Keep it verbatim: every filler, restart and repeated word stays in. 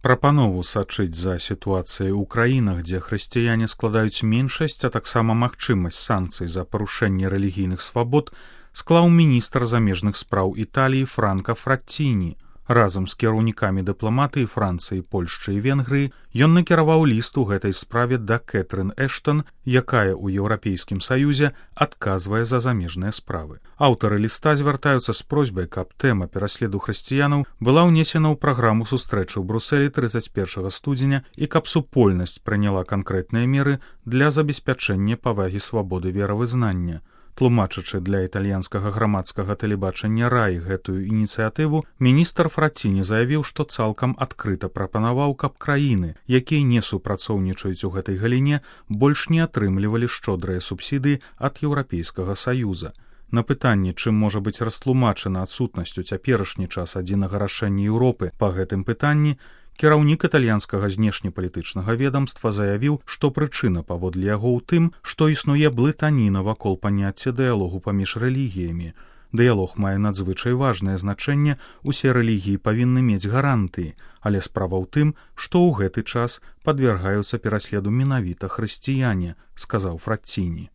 Прапанову сачыць за сітуацыяй у краінах, дзе хрысціяне складаюць меншасць, а таксама магчымасць санкцый за парушэнне рэлігійных свабод, склаў міністр замежных спраў Італіі Франка Фраттіні. Разам з кіраўнікамі дыпламатыі Францыі, Польшчы і Венгрыі ён накіраваў ліст у гэтай справе да Кэтрын Эштон, якая ў Еўрапейскім саюзе адказвае за замежныя справы. Аўтары ліста звяртаюцца з просьбай, каб тэма пераследу хрысціянаў была ўнесена ў праграму сустрэчы ў Брусэлі трыццаць першага студзеня і каб супольнасць прыняла канкрэтныя меры для забеспячэння павагі свабоды веравызнання. Тлумачачы для італьянскага грамадскага тэлебачання раі гэтую ініцыятыву, міністр Фраттіні заявіў, што цалкам адкрыта прапанаваў, каб краіны, якія не супрацоўнічаюць у гэтай галіне, больш не атрымлівалі шчодрыя субсідыі ад Еўрапейскага саюза. На пытанне, чым можа быць растлумачана адсутнасць у цяперашні час адзінага рашэння Еўропы па гэтым пытанні, кіраўнік італьянскага знешнепалітычнага ведамства заявіў, што прычына паводле яго ў тым, што існуе блытаніна вакол паняцця дыялогу паміж рэлігіямі. Дыялог мае надзвычай важнае значэнне, усе рэлігіі павінны мець гарантыі, але справа ў тым, што ў гэты час падвяргаюцца пераследу менавіта хрысціяне, сказаў Фраттіні.